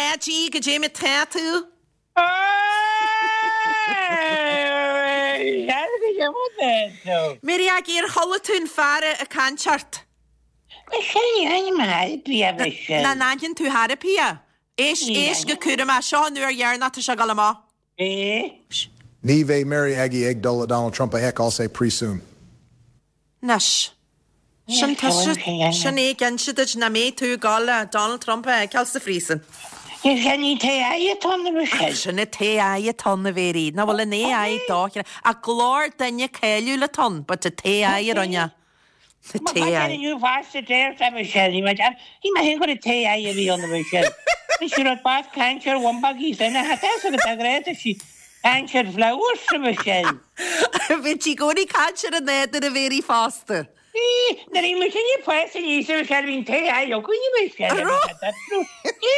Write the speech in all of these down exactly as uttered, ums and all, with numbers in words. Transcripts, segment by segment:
Aggie, goidé mar tá tú? Mary Aggie, ar chuala tú an fear ag caint ort? Nach n-aithníonn tú thar a pia? Éist, éist go cúramach, seo an uair dheireanach tá sé ag dul amach. Ní bheidh Mary Aggie ag dul le Donald Trump a fheiceáil sa phríosún. Anois, sin tusa, sin é ag inse duit nach mbeidh tú ag dul le Donald Trump a fheiceáil sa phríosún. Sin an t-AI atá ann, a Mhichelle. Sin an t-AI atá ann, a Mhary. Nach bhfuil an AI dochreidte. Ach glór duine cáiliúil atá ann, but an t-AI a rinne é. An Má t-AI. tá inniu feasta deir a Mhichelle, ní bheidh Bhí mé féin gur an t-AI a bhí ann, a Mhichelle. Bhí sí rud bas caint ar bhumbaigí sin a tá fhios agat a ghréad sí caint ar flowers, a Mhichelle. Bhí sí i gcónaí ag caint ar an nádúr, a Mhary fosta. Bhí, nuair a bhí muid ag fás aníos a Mhichelle bhí an t-AI againn a Mhichelle. An raibh? Bhí,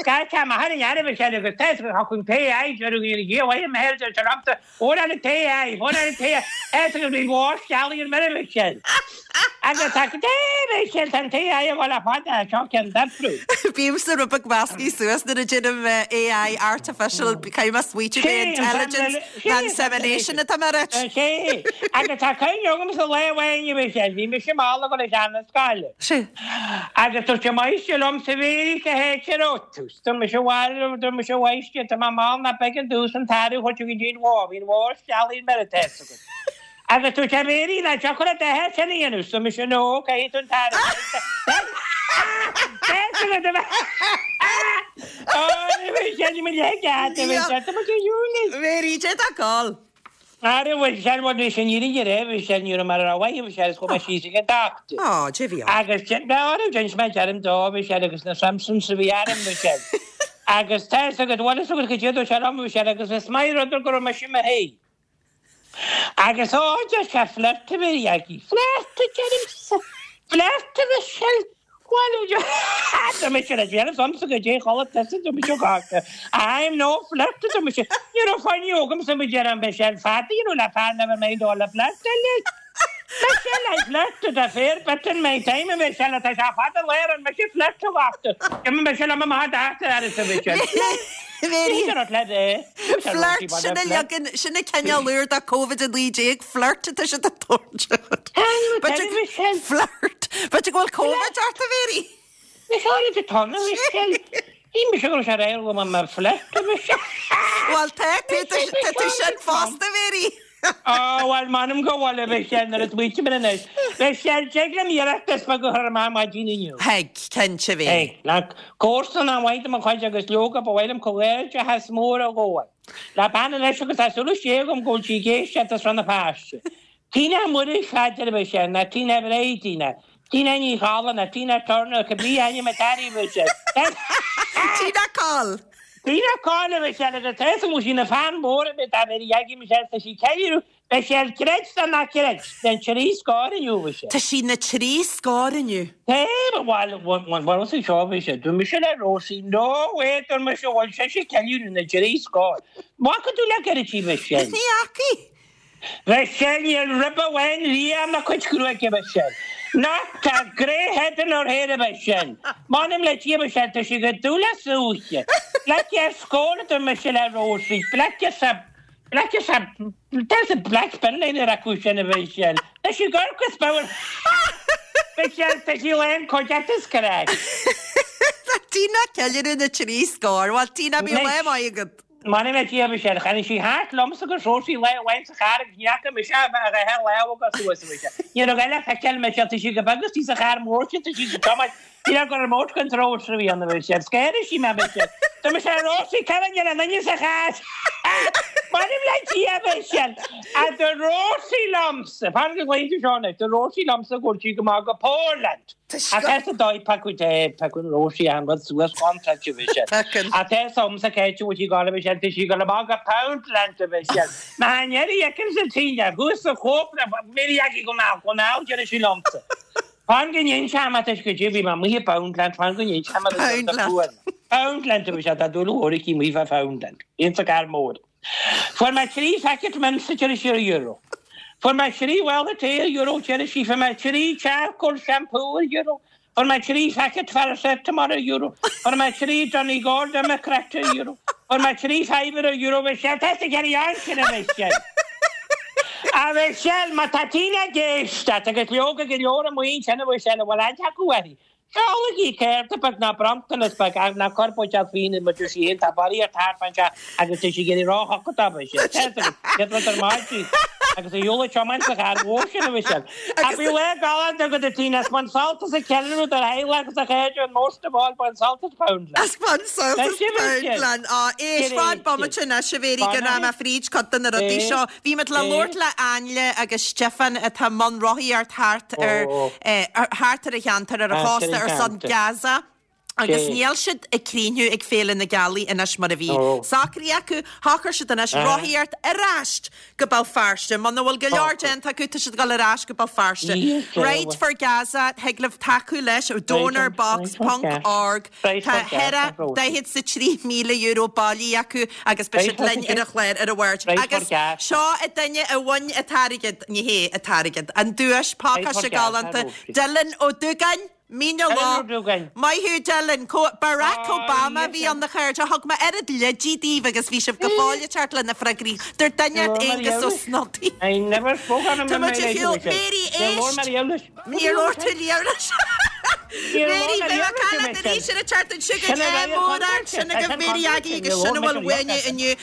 gach am a tharraing air a Mhichelle agus tá fhios agat an t-AI deireadh an Dhia mhaith a Mhichelle deir sé liomsa Fuair an t-AI, fuair an t-AI, is go bhí mhór scealaí ar mire Mhichelle. Agus tá go dé Mhichelle tá an t-AI ag dul le fada seo ceann difriúil. Bímse rud beag measctha suas nuair a deirim AI artificial caithfidh mé smaoitiú b'é intelligence ná insemination atá mé a ráit. Sea, agus tá cuimhne agamsa lá amháin a Mhichelle, bhí mise mall ag dul isteach na scoile. Sea. Agus dúirt an máistir liomsa a Mhéirí cá háit a raibh tú. Dúirt mise bhuel, dúirt mise a mháistir, tá mé mall ná b'éigean domhsa an t-arú a thabhairt go dtí an bhó, bhí an bhó steallta ar mire, tá fhios agat. Agus dúirt sé a Mhéirí, nach dtiocfadh leat a theach sin a dhéanamh? Dúirt mise no, caithfidh tú an t-arú a thabhairt. Tá fhios agat a bheith. Ó, ní bheidh sé, ní bheidh leig agat, a bheidh sé, tá muid ar shiúl anois. Mhéirí, cé tá ag gol? Ara bhuel, sea, bhuel, bhí sé ní raibh raibh, bhí sé ní raibh mar a raibh uaidh, bhí sé agus chuaigh mé síos ag an dochtúir. Á, cé bhí ann? Agus dein, ara d'inis mé deirim dó, bhí sé agus na Simpsons a bhí orm, bhí sé. Agus tá fhios agat, bhuel, fhios agat goidé a dúirt sé liom, bhí sé agus is maith rud go raibh mise i mo shuí. Agus á, deir sé, flirt a bhí aici. Flirt, a deirimse, flirt a Mhichelle. Bhuel, tá mise le déanamh agamsa goidé chuala tusa tá mise gáta. I'm no flirt tá mise. Ní raibh fáinne agamsa mo deireadh Michelle fada you know le fear never mind all the flirt eile. Michelle I flirted a fair bit in my time Michelle tá sé fada léir an mise flirt a bhachta. D'imigh Michelle am amach d'eachtra ar sa Michelle. Mary. Flirt Flirt sin a leagan sin a cineál úr de Covid a naoi déag flirt atá siad ag tabhairt. Michelle. Flirt. B'fhéidir go bhfuil Covid ort a Mhary? Michelle is atá na Michelle. Bhí mise go raibh sé réidh go mbeadh mé flirt a Michelle. Bhuel tá tú tá tú sin fosta a Mhary. Á bhuel m'anam go bhfuil a Mhichelle nuair a smaoiním air anois. Michelle tig liom iarracht is beag a chur amach maidin inniu. Thig, cinnte a Mhary. Thig. Le comharsan an-mhaith de mo chuid agus leoga ba mhaith liom comhghairdeachas mór a ghabháil le bean anois agus tá súil istigh agam go bhfuil sí ag éisteacht as Rann na Feirste. Tina Mhuiris a deir Michelle, nó Tina Brady nó Tina Ní Challann nó Tina Turner, cibé ainm atá uirthi Michelle. Tina Coll. Tina Coll a Michelle agus tá fhios agam go bhfuil sí ina fan mór a bheith dá bheirí agaibh Michelle tá sí ceiliúradh Michelle creid nó ná creid den trí scór inniu Michelle. Tá sí na trí scór inniu. Cé ba bhuel bhuel sa seo Michelle dúirt mise le Rosie no way dúirt mise bhfuil sise ag ceiliúradh na trí scór. Bhfaca tú le gairid í Michelle? Ní fhacaidh. Michelle níl rib amháin liath ina cuid gruaige Michelle. Not a grey head in her hair Michelle. M'anam le Dia Michelle tá sí go dubh le súiche. Black as scór a dúirt mise le Rosie. Black as a black as a there's a black bin line ar acu sin a Michelle. Tá sí gork is bodhar. Michelle tá sí lán cuideachta is craic. Tá Tina ag ceiliúradh na trí scór. Bhuel Tina bíodh lá maith agat. M'anam le Dia Michelle, tháinig sí thart liomsa agus Rosie lá amháin sa charr agus ní fhaca mise a dhá lámh acu suas Michelle. Ní raibh eile feiceáil Michelle, tá sí go beag istigh sa charr mór sin, tá sí sa tiomáint, ní raibh gur remote control a bhí ann Michelle. Scanraigh sí mé Michelle. Tá mise Rosie, cá bhfuil an duine sa charr? M'anam le Dia Michelle, a dúirt Rosie liomsa, fan go nglaofaidh tú seo anois, dúirt Rosie liomsa go bhfuil sí go maith go Portland. Ach tá sa dóigh piocadh te, piocadh Rosie an rud suas contráilte bhí sé. Ach tá 's agamsa cá háit a bhfuil sí ag gabháil Michelle, tá sí ag gabháil amach go Poundland a Mhichelle. Má an iarraidh fheicim sa tine, thuas sa chóip na Mary Aggie go mall, go mall deir sí liomsa. Fan go n-inseoidh mé duit goidé bhí mé amuigh i bPoundland, fan go n-inseoidh mé duit rud a fuair mé. Poundland a Mhichelle, tá dúil mhór aici amuigh fá Phoundland. Bhíonn sa gcarr mór. Fuair mé trí phacket mince deir sí ar euro. Fuair mé trí mhála tae ar euro deir sí, fuair mé trí charcoal shampoo ar euro. Fuair mé trí phacket paracetamol ar euro. Fuair mé trí Donegal Democrat ar euro. Fuair mé trí fiver ar euro Michelle. Tá a cheann sin a Michelle. A Michelle, má tá daoine ag éisteacht agus leoga go leor amuigh sin a Michelle, a bhfuil aithne acu uirthi. Seolaigí cárta beag ná bronntanas beag ach ná cuir buidéal fíona mar deir sí féin, tá barraíocht thart fán teach agus tá sí ag iarraidh róshocraitheach a Mhichelle. Tá a fhios agat, céad rud ar maidin agus a shiúl ag tiomáint sa charr mhór sin a Mhichelle. Ach bhí lá galánta agat a Tina, is bain sult as an cheiliúradh do theaghlach agus do chairde and most of all bain sult as Poundland. As bain sult as Poundland. Á, éist, fan bomaite anois a Mhéirí go raibh mé fríd cuid de na rudaí seo. Bhí muid le labhairt le Ainle agus Stiofán atá i mbun rothaíocht thart ar thart ar an cheantar ar an chósta ar son Gaza agus níl siad ag cruinniú ag Féile na Gealaí anois mar a bhí socraithe acu. Shocair siad anois rothaíocht ar ais go Béal Feirste. Muna bhfuil go leor déanta acu, tá siad ag dul ar ais go Béal Feirste. Ride for Gaza, thig libh tacú leis, donorbox ponc org. Tá ceithre daichead is a trí míle euro bailithe acu agus beidh siad linn ar an chlár ar an Mháirt. Agus seo an duine a bhain an t-airgead, ní hé an t-airgead, an duais pacáiste galánta, Dylan Ó Dúgáin! Mín na Lá. Maith thú Dylan. Barack Obama a bhí ann a chairde. Thug mé oiread leidí daoibh agus bhí sibh go fóill ag teacht le na freagraí. Dúirt duine ort Aengus Ó Snodaigh. Tá muid ar shiúl. Mary, éist! Níor labhair tú leis. Mary, beidh mé cailleadh arís ar an tseachtain seo chugainn. Ádh mór ort. Sin agaibh Mary Aggie agus sin a bhfuil uainne inniu.